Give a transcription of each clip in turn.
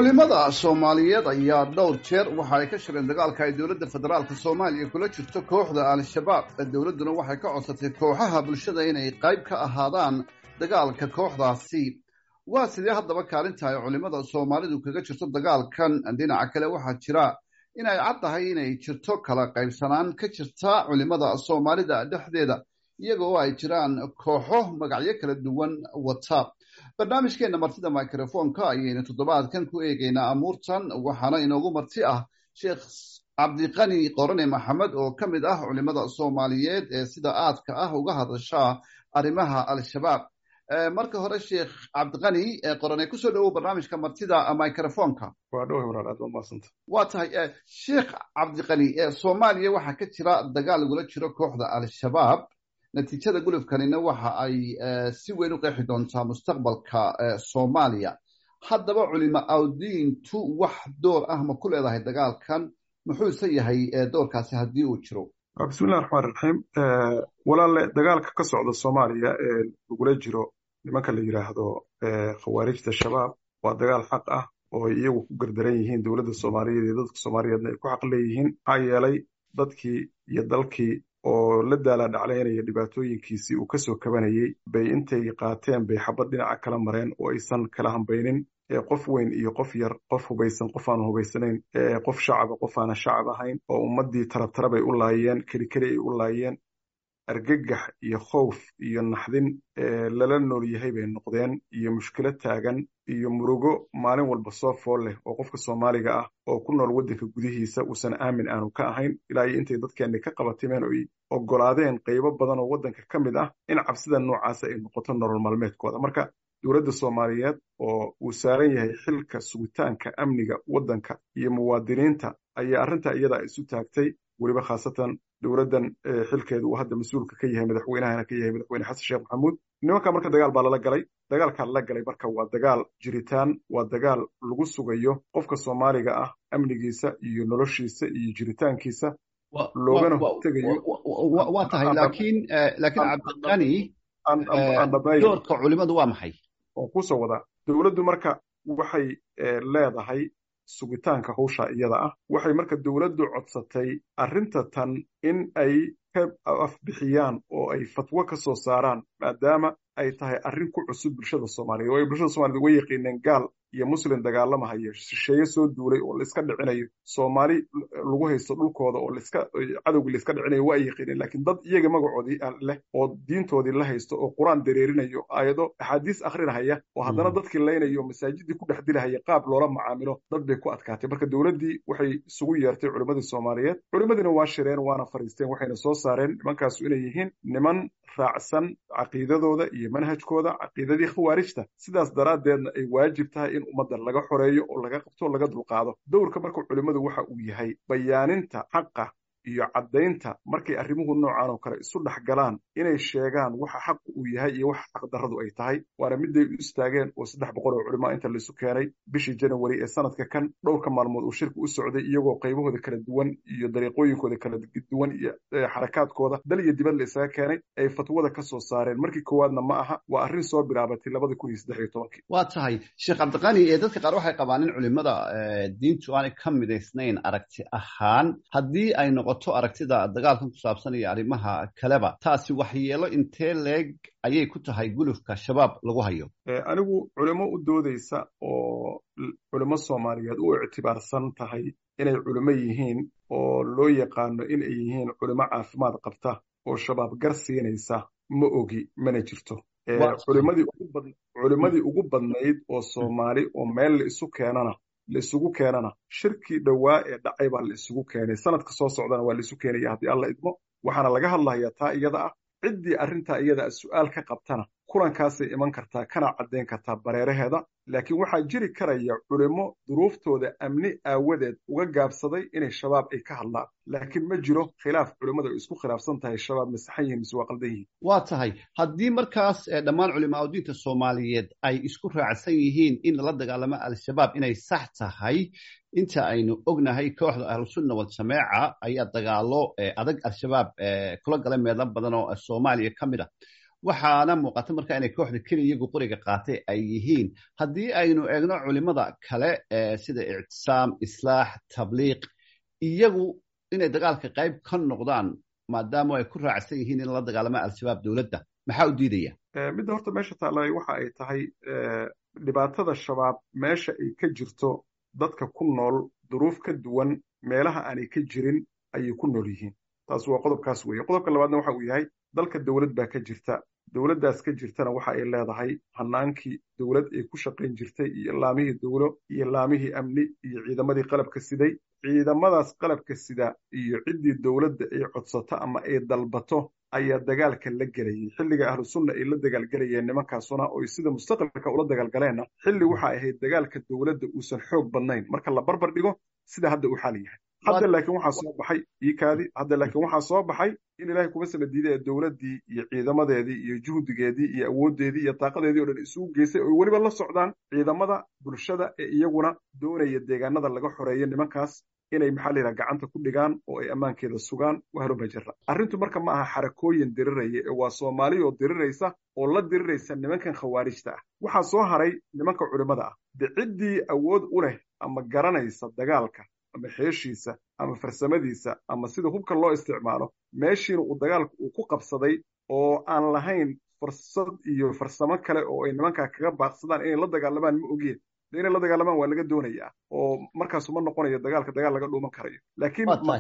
Culimada Soomaaliyeed ayaa dhowr jeer waxa ay ka shireen dagaalka ay dowladda federaalka Soomaaliya kula jirto kooxda Al-Shabaab. Dowladduna waxay ka codsatay kooxaha bulshada inay qayb ka ahaadaan dagaalka kooxdaasi. Waa sidee haddaba kaalinta ay culimada Soomaalidu kaga jirto dagaalkan? Dhinaca kale, waxaa jira in ay cad tahay inay jirto kala qaybsanaan ka jirta culimada Soomaalida dhexdeeda, iyaga oo ay jiraan kooxo magacyo kala duwan wata. Barnaamijkeena Martida Microfonka ayaynu toddobaadkan ku eegeynaa amuurtan, waxaana inoogu marti ah Sheekh Cabdiqani Qorane Maxamed oo ka mid ah culimada Soomaaliyeed ee sida aadka ah uga hadasha arrimaha Al-Shabaab. Marka hore, Sheekh Cabdiqani Qorane, kusoo dhawow barnaamijka Martida Microfonka. Waa dhow, walaal, aad baa mahadsanta. Waa tahay, Sheekh Cabdiqani. Soomaaliya waxaa ka jira dagaal lagula jiro kooxda Al-Shabaab. Natiijada gulufkanina waxa ay si weyn u qeexi doontaa mustaqbalka Soomaaliya. Haddaba, culimo awdiintu wax door ah ma ku leedahay dagaalkan? Muxuuse yahay doorkaasi haddii uu jiro? Bismillahi raxmaan raxiim. Walaalle, dagaalka ka socda Soomaaliya ee lagula jiro nimanka la yidhaahdo Khawaarijta Shabaab waa dagaal xaq ah oo ay iyagu ku gardaran yihiin, dowladda Soomaaliyeed iyo dadka Soomaaliyeedna ay ku xaq leeyihiin, maxaa yeelay dadkii iyo dalkii oo la daala dhaclaynaya dhibaatooyinkiisii uu kasoo kabanayey bay intay qaateen bay xabad dhinaca kala mareen oo aysan kala hambaynin qof weyn iyo qof yar, qof hubaysan, qof aan hubaysanayn, qof shacaba, qof aanan shacab ahayn, oo ummaddii tarabtarabay u laayeen, keli keli ay u laayeen. Argagax iyo khowf iyo naxdin lala nool yahay bay noqdeen, iyo mushkilad taagan iyo murugo maalin walba soo fool leh oo qofka Soomaaliga ah oo ku nool waddanka gudihiisa uusan aamin aanu ka ahayn, ilaa iyo intay dadkeenni ka qabatimeen oo ay oggolaadeen qaybo badan oo waddanka ka mid ah in cabsida noocaasa ay noqoto nolol maalmeedkooda. Marka dowladda Soomaaliyeed oo uu saaran yahay xilka sugitaanka amniga waddanka iyo muwaadiniinta ayaa arrintaa iyada isu taagtay, weliba khaasatan dowladdan xilkeedu uu hadda mas-uulka ka yahay, madaxweynahana ka yahay, Madaxweyne Xasan Sheekh Maxamuud. Nimanka marka dagaal baa lala galay. Dagaalkaa lala galay marka waa dagaal jiritaan, waa dagaal lagu sugayo qofka Soomaaliga ah amnigiisa iyo noloshiisa iyo jiritaankiisa, loogana hortegayo. Waa tahay, laakiin Cabdiqani, doorka culimadu waa maxay? Waan kusoo wadaa. Dowladdu marka waxay leedahay sugitaanka hawsha iyada ah. Waxay marka dowladdu codsatay arrinta tan in ay ka afbixiyaan oo ay fatwo ka soo saaraan, maadaama ay tahay arrin ku cusub bulshada Soomaaliyeed, oo ay bulshada Somaliyed uga yaqiineen gaal iyo muslim dagaalamahaya, shisheeye soo duulay oo laiska dhicinayo, Soomaali lagu haysto dhulkooda oo laiska cadowgii laiska dhicinayo waa ay yaqiineen. Laakiin dad iyaga magacoodii leh oo diintoodii la haysto oo Qur-aan dareerinayo, aayado axaadiis akhrinahaya, oo haddana dadkii laynayo, masaajidii ku dhex dilahaya, qaab loola macaamilo dad bay ku adkaatay. Marka dowladdii waxay isugu yeertay culimmadii Soomaaliyeed. Culimmadiina waa shireen, waana fariisteen, waxayna soo saareen nimankaasu inay yihiin niman raacsan caqiidadooda iyo manhajkooda caqiidadii Khawaarijta, sidaas daraaddeedna ay waajib tahay in ummadda laga xoreeyo oo laga qabto, laga dulqaado. Dowrka marka culimmadu waxa uu yahay bayaaninta xaqa iyo caddaynta markay arrimuhu noocan oo kale isu dhex galaan, inay sheegaan waxa xaqu uu yahay iyo waxa xaqdarradu ay tahay. Waana miday u istaageen oo 300 oo culimaa inta laisu keenay bishii Janawari ee sanadka kan, dhowrka maalmood uu shirku u socday, iyagoo qaybahooda kala duwan iyo dariiqooyinkooda kala duwan iyo xarakaadkooda dal iyo dibad la isaga keenay, ay fatwada ka soo saareen. Markii koowaadna ma aha, waa arrin soo bilaabatay 2013-kii. Waa tahay, Sheekh Cabdiqani. Ee dadka qaar waxay qabaan in culimada diintu aanay ka midaysnayn aragti ahaan haddii ay noqoto aragtida dagaalkan ku saabsan iyo arrimaha kaleba. Taasi waxyeelo intee leeg ayay ku tahay gulufka Shabaab lagu hayo? Anigu culimo u doodeysa oo culimo Soomaaliyeed u ictibaarsan tahay inay culimo yihiin oo loo yaqaano inay yihiin culimo caafimaad qabta oo Shabaab gar siinaysa ma ogi, mana jirto. Culimadii ugu badnayd oo Soomaali oo meel la isu keenana, la isugu keenana, shirkii dhowaa ee dhacay baa la isugu keenay. Sanadka soo socdana waa la isu keenaya haddii Alla idmo, waxaana laga hadlayaa taa iyada ah. Ciddii arrintaa iyada ah su-aal ka qabtana kulankaasay iman kartaa, kana caddayn kartaa bareeraheeda. Laakiin waxaa jiri karaya culimo duruuftooda amni aawadeed uga gaabsaday inay Shabaab ay ka hadlaan, laakiin ma jiro khilaaf culimmadu ay isku khilaafsan tahay Shabaab ma saxan yihin mise waa qaldan yihin. Waa tahay, haddii markaas dhammaan culimaa diinta Soomaaliyeed ay isku raacsan yihiin in lala dagaalamo Al-Shabaab inay sax tahay, inta aynu ognahay kooxda Ahlusunna Waljamaaca ayaa dagaalo adag Al-Shabaab kula galay meelo badan oo Soomaaliya ka mid ah. Waxaana muuqata marka inay kooxda keliya iyagu qoriga qaatay ay yihiin. Haddii aynu eegno culimada kale sida Ictisaam, Islaax, Tabliiq, iyagu inay dagaalka qayb ka noqdaan maadaama ay ku raacsan yihiin in la dagaalama Al-Shabaab, dowladda maxaa u diidaya? Midda horta meesha taallay waxa ay tahay dhibaatada Shabaab meesha ay ka jirto, dadka ku nool duruuf ka duwan meelaha aanay ka jirin ayay ku nool yihiin. Taas waa qodobkaas weeye. Qodobka labaadna waxa uu yahay, dalka dowlad baa ka jirta. Dowladdaas ka jirtana waxa ay leedahay hanaankii dowlad ay ku shaqayn jirtay iyo laamihii dowlo iyo laamihii amni iyo ciidamadii qalabka siday. Ciidamadaas qalabka sida iyo ciddii dowladda ay codsato ama ay dalbato ayaa dagaalka la gelayay. Xilliga Ahlu Sunna ay la dagaalgelayeen nimankaasuna oy sida mustaqbalka ula dagaalgaleenna, xilli waxa ahayd dagaalka dowladda uusan xoog badnayn marka la barbar dhigo sida hadda uu xaal yahay hadda. Laakiin waxaa soo baxay iikaadi hadda, laakiin waxaa soo baxay in Ilaahay kuma sama diiday ee dowladdii iyo ciidamadeedii iyo juhdigeedii iyo awooddeedii iyo taaqadeedii o dhan isugu geysay, oy weliba la socdaan ciidamada bulshada ee iyaguna doonaya deegaanada laga xoreeyo nimankaas inay, maxaa la yidhaha, gacanta ku dhigaan oo ay ammaankeeda sugaan. Wahaluma jira arrintu marka ma aha xarakooyin diriraya ee waa Soomaali oo diriraysa oo la diriraysa nimankan khawaarijta ah. Waxaa soo haray nimanka culimmada ah, de ciddii awood u leh ama garanaysa dagaalka ama xeeshiisa ama farsamadiisa ama sida hubka loo isticmaalo, meeshiina uu dagaalka uu ku qabsaday oo aan lahayn fursad iyo farsamo kale oo ay nimankaa kaga baaqsadaan inay la dagaalamaan ma ogeen. Inay la dagaalamaan waa laga doonayaa oo markaasu ma noqonayo dagaalka dagaal laga dhuuman karayo. Laakiin ma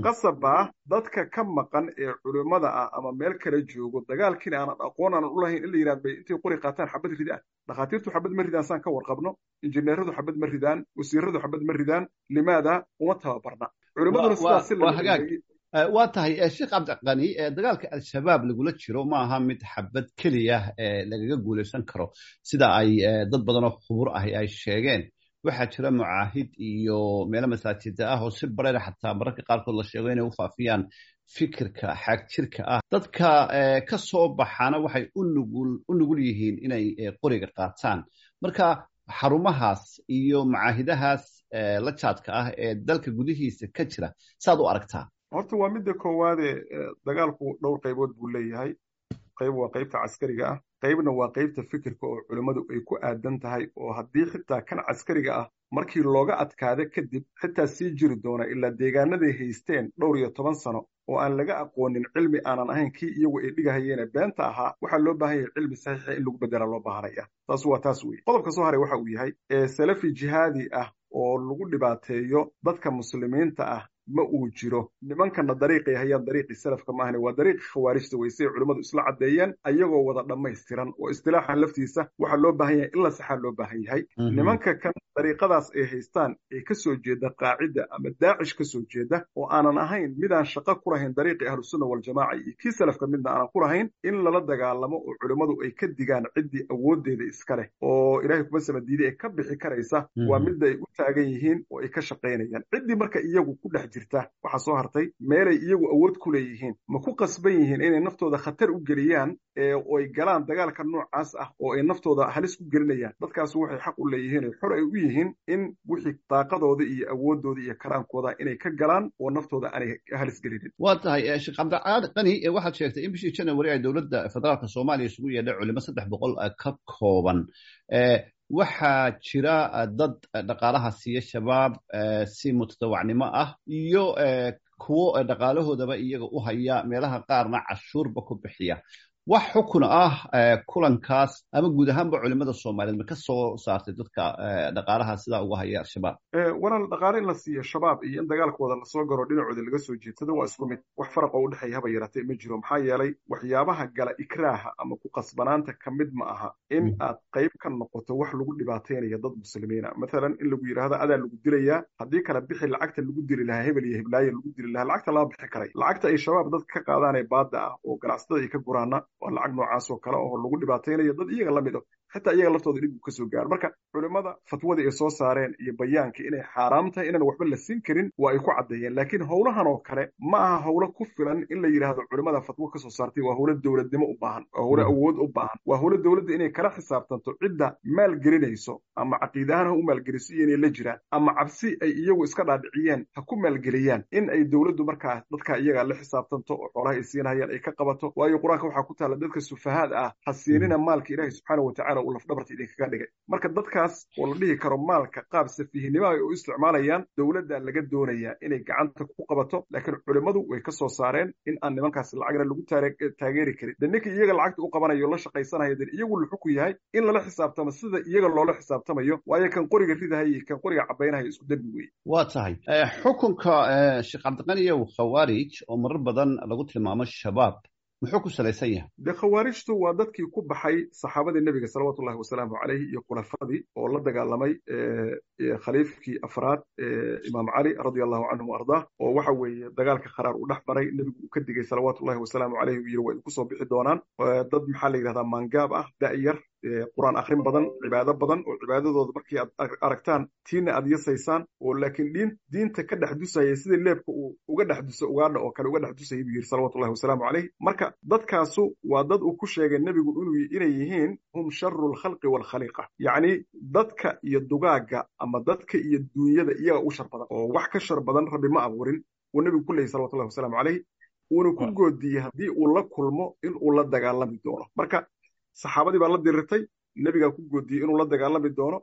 qasab dadka ka maqan ee culimmada ah ama meel kale joogo, dagaalkiina aanan aqoon aanan u lahayn, in la yidhahdo bay intay qori qaataan xabad ridaan? Dhakhaatiirtu xabad ma ridaan saan ka warqabno, injineeradu xabad ma ridaan, wasiiradu xabad ma ridaan. Limaada uma tababarna culimmaduna sidaas? Si hagaag waa tahay, Sheekh Cabdiqani. Dagaalka Al-Shabaab lagula jiro ma aha mid xabad keliya lagaga guulaysan karo, sida ay dad badan oo khubur ahi ay sheegeen. Waxaa jira mucaahid iyo meelo masaajida ah oo si bareera xataa mararka qaarkood la sheego inay u faafiyaan fikirka xaagjirka ah. Dadka ka soo baxaana waxay u nugul yihiin inay qoriga qaataan. Marka xarumahaas iyo macaahidahaas la jaadka ah ee dalka gudihiisa ka jira saad u aragtaa? Horta waa midda koowaade, dagaalku dhowr qaybood buu leeyahay. Qayb waa qaybta caskariga ah, qaybna waa qaybta fikirka oo culimmadu ay ku aadan tahay, oo haddii xitaa kan caskariga ah markii looga adkaada kadib xitaa sii jiri doona ilaa deegaanaday haysteen dhowr iyo toban sano oo aan laga aqoonin cilmi aanan ahayn kii iyagu ay dhigahayeene beenta ahaa. Waxaa loo baahan yahay cilmi saxiixa in lagu bedela loo baahanaya. Taas waa taas weye. Qodobka soo haray waxa uu yahay, salafi jihaadi ah oo lagu dhibaateeyo dadka muslimiinta ah ma uu jiro. Nimankana dariiqay hayaan dariiqii salafka maahane, waa dariiqii khawaarijta wey, siay culimmadu isla caddeeyeen ayagoo wada dhammaystiran. Oo istilaaxan laftiisa waxaa loo baahan yahay in la saxaa loo baahan yahay. Nimanka kan dariiqadaas ay haystaan ee ka soo jeeda Qaacidda ama Daacish ka soo jeeda, oo aanan ahayn midaan shaqo ku lahayn dariiqii Ahlusunna Waljamaaca iyo kii salafka midna aanan ku lahayn, in lala dagaalamo oo culimmadu ay ka digaan ciddii awooddeeda iska leh oo Ilaahay kuma sama diiday ee ka bixi karaysa, waa midda ay u taagan yihiin oo ay ka shaqaynayaan. Ciddii marka iyagu ku dhex jirta, waxaa soo hartay meelay iyagu awood ku leeyihiin, ma ku qasban yihiin inay naftooda khatar u geliyaan oo ay galaan dagaalka noocaas ah oo ay naftooda halis ku gelinayaan? Dadkaas waxay xaq u leeyihiin oo xor ay u yihiin in wixii daaqadooda iyo awooddooda iyo karaankooda inay ka galaan oo naftooda aanay halis gelinin. Waa tahay, Sheekh Cabdiqani. Waxaad sheegtay in bishii January ay dowladda federaalka Soomaaliya isugu yeedhay culimo 300 ka kooban. Waxaa jira dad dhaqaalaha siiya Shabaab si mutadawacnimo ah iyo kuwo dhaqaalahoodaba iyaga u haya, meelaha qaarna cashuurba ku bixiya. Wax xukun ah kulankaas ama guud ahaanba culimada Soomaaliyeed ma ka soo saartay dadka dhaqaalaha sidaa uga haya Al-Shabaab? Walaal, dhaqaale in la siiyo Shabaab iyo in dagaalkooda lasoo garo dhinacooda laga soo jeedsado waa isku mid. Wax faraq oo udhexeeya haba yaraatee ma jiro. Maxaa yeelay, waxyaabaha gala ikraaha ama ku qasbanaanta ka mid ma aha in aad qayb ka noqoto wax lagu dhibaataynayo dad muslimiina. Mathalan, in lagu yidhaahdo adaa lagu dilayaa, haddii kala bixi lacagta lagu dili lahaa hebel iyo heblaaye lagu dili lahaa, lacagta lama bixi karay. Lacagta ay Shabaab dadka ka qaadaanee baadda ah oo ganacsatada ay ka guraana waa lacag noocaas oo kale oo lagu dhibaataynayo dad iyaga la mid ah, xitaa iyaga laftooda dhib uu ka soo gaaro. Marka culimmada fatwadii ay soo saareen iyo bayaanka inay xaaraam tahay inaan waxba la siin karin waa ay ku caddeeyeen. Laakiin howlahan oo kale ma aha howlo ku filan in la yidhaahdo culimmada fatwo ka soo saartay. Waa howlo dowladnimo u baahan, waa howlo awood u baahan, waa howlo dowladda inay kala xisaabtanto cidda maalgelinayso, ama caqiide ahaan ha u maalgeliso iyo inay la jiraan, ama cabsi ay iyagu iska dhaadhiciyeen ha ku maalgeliyaan, in ay dowladdu markaa dadka iyaga la xisaabtanto oo xoolaha ay siinayaan ay ka qabato. Waayo, Qur-aanka waxaa ku taalla taalla dadka sufahaad ah ha siinina maalka Ilaahay subxaana wa tacaala uu lafdhabarta idinkaga dhigay. Marka dadkaas oo la dhihi karo maalka qaab safiihnimo ay u isticmaalayaan, dowladda laga doonayaa inay gacanta ku qabato, laakiin culimmadu way ka soo saareen in aan nimankaas lacagna lagu taageeri karin. De ninka iyaga lacagta u qabanayo la shaqaysanaya, de iyagu luxu ku yahay in lala xisaabtamo sida iyaga loola xisaabtamayo, waayo kan qoriga ridahaya iyo kan qoriga cabaynahaya isku dembi weeye. Waa tahay. Xukunka Sheekh Cabdiqaniyow khawaarij oo marar badan lagu tilmaamo shabaab muxuu ku salaysan yahay? De khawaarijtu waa dadkii ku baxay saxaabadii nebiga salawaatullahi wasalaamu caleyh iyo khulafadii oo la dagaalamay khaliifkii afraad, Imaam Cali radia allahu canhu wa ardaah, oo waxa weeye dagaalka kharaar uu dhex maray, nebigu uu ka digay salawaatullahi wasalaamu caleyh, uu yidhi waa idinku soo bixi doonaan dad maxaa la yidhahdaa maangaab ah, da'yar, qur'aan akhrin badan, cibaado badan, oo cibaadadooda markii aad aragtaan tiina aad yasaysaan, oo laakiin diinta ka dhex dusaya sidii leebka uu uga dhex duso ugaadha oo kale uga dhex dusaya buu yidhi salawatullahi wasalaamu caleyh. Marka dadkaasu waa dad uu ku sheegay nebigu inay yihiin hum sharu lkhalqi waalkhaliiqa, yacni dadka iyo dugaagga ama dadka iyo duunyada iyaga u shar badan, oo wax ka shar badan Rabbi ma abuurin uu nebigu ku leeyay salawatullahi wasalaamu caleyh, uuna ku goodiyey haddii uu la kulmo in uu la dagaalami doono. Marka saxaabadii baa la dirirtay, nebigaa ku goodiyey inuu la dagaalami doono,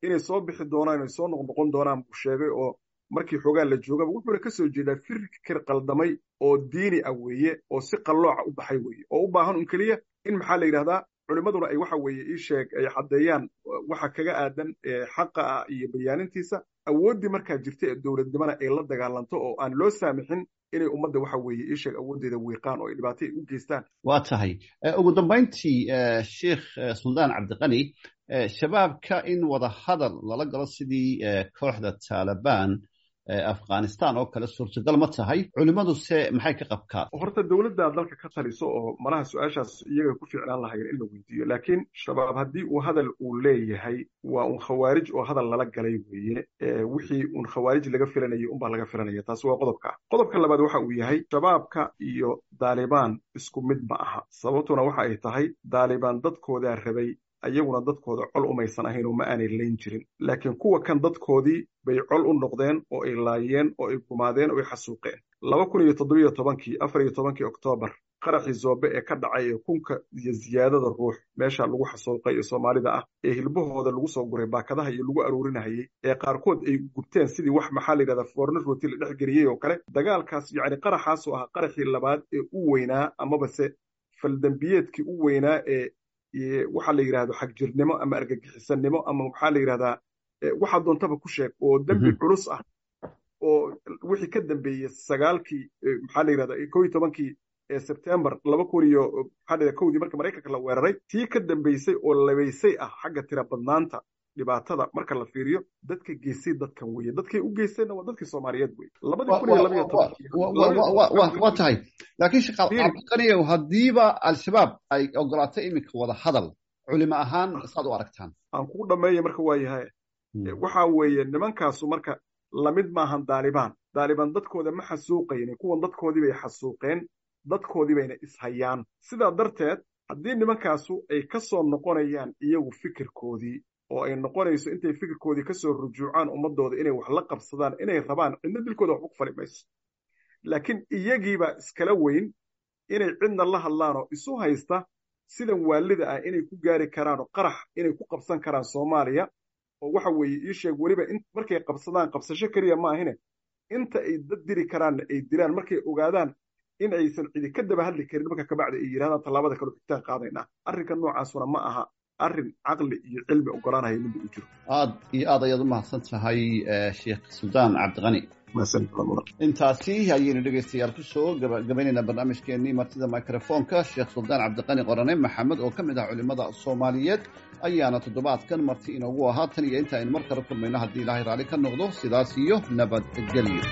inay soo bixi doonaan, inay soo noqnoqon doonaan buu sheegay, oo markii xoogaa la joogaba wuxuuna ka soo jeedaa fikir qaldamay oo diini ah weeye, oo si qallooca u baxay weeye, oo u baahan un keliya in maxaa la yidhahdaa culimmaduna ay waxa weeye ii sheeg ay caddeeyaan waxa kaga aadan xaqa ah iyo bayaanintiisa, awooddii markaa jirta ee dowladnimona ay la dagaalanto oo aan loo saamixin inay ummadda waxa weeye ii sheeg awooddeeda wiiqaan oo ay dhibaato u geystaan. Waa tahay. Ugu dambayntii, Sheekh Suldaan Cabdiqani, shabaabka in wada hadal lala galo sidii kooxda Taalibaan Afghanistan oo kale suurtagal ma tahay? Culimmadu se maxay ka qabkaan? Horta dowladda dalka ka taliso oo malaha su-aashaas iyaga ku fiicnaan lahayen in la weydiiyo, laakiin shabaab haddii uu hadal uu leeyahay waa un khawaarij oo hadal lala galay weeye, wixii un khawaarij laga filanayay unbaa laga filanaya. Taasi waa qodobka. Qodobka labaad waxa uu yahay shabaabka iyo Daalibaan isku mid ma aha, sababtuna waxa ay tahay Daalibaan dadkoodaa rabay, ayaguna dadkooda col umaysan ahayn oo ma aanay layn jirin, laakiin kuwa kan dadkoodii bay col u noqdeen oo ay laayeen oo ay gumaadeen oo ay xasuuqeen. 2017-kii, 14-kii Oktoobar, qaraxii Zoobe ee ka dhacay ee kunka iyo ziyaadada ruux meesha lagu xasuuqay ee Soomaalida ah, ee hilbahooda lagu soo guray baakadaha iyo lagu aruurinahayey, ee qaarkood ay gubteen sidii wax maxaa la yidhahdaa foorno rooti la dhex geliyey oo kale, dagaalkaas yacni qaraxaasoo ahaa qaraxii labaad ee u weynaa amaba se faldambiyeedkii u weynaa ee waxaa la yidhahdo xagjirnimo ama argagixisanimo ama maxaa la yidhahdaa waxaa doontaba ku sheeg oo dembi culus ah, oo wixii ka dambeeyey 9-kii maxaa la yidhahdaa 11-kii Sebtembar 2000 iyo maxaa la yidhahdaa 1-dii marka Maraykanka la weeraray, tii ka dambeysay oo labaysay ah xagga tira badnaanta dhibaatada marka la fiiriyo, dadka geystay dadkan weeye, dadkay u geystayna waa dadkii Soomaaliyeed weye. 2012-kii. Waa tahay, laakiin Sheekh Cabdiqaniyow, haddiiba Al-Shabaab ay ogolaatay iminka wada hadal, culimo ahaan saad u aragtaan? Aan kugu dhameeya marka waa yahay waxa weeye nimankaasu marka lamid maahan Daalibaan. Daalibaan dadkooda ma xasuuqaynin, kuwan dadkoodii bay xasuuqeen, dadkoodii bayna ishayaan. Sidaa darteed haddii nimankaasu ay ka soo noqonayaan iyagu fikirkoodii oo ay noqonayso intay fikirkoodii ka soo rujuucaan ummadooda inay wax la qabsadaan inay rabaan, cidna dilkooda waxba ku fali mayso, laakiin iyagiibaa iskala weyn inay cidna la hadlaanoo isu haysta sidan waalida ah inay ku gaari karaanoo qarax inay ku qabsan karaan Soomaaliya, oo waxa weeye ii sheeg weliba markay qabsadaan qabsasho keliya ma ahine inta ay dad diri karaanna ay dilaan, markay ogaadaan in aysan cidi ka daba hadli karin marka kabacdi ay yidhahdaan tallaabada kale xitaan qaadaynaa. Arrinka noocaasuna ma aha arrin caqli iyo cilmi ogolaanaya midda uu jiro. Aad iyo aad ayaad u mahadsan tahay, Sheekh Suldaan Cabdiqani. Intaasi ayaynu dhegeystayaal kusoo gabagabaynaynaa barnaamijkeenii martida microfoonka. Sheekh Suldaan Cabdiqani Qorane Maxamed oo ka mid ah culimada Soomaaliyeed ayaana toddobaadkan marti inoogu ahaa. Tan iyo inta aynu mar kale kulmayno haddii Ilaahay raalli ka noqdo, sidaas iyo nabadgelyo.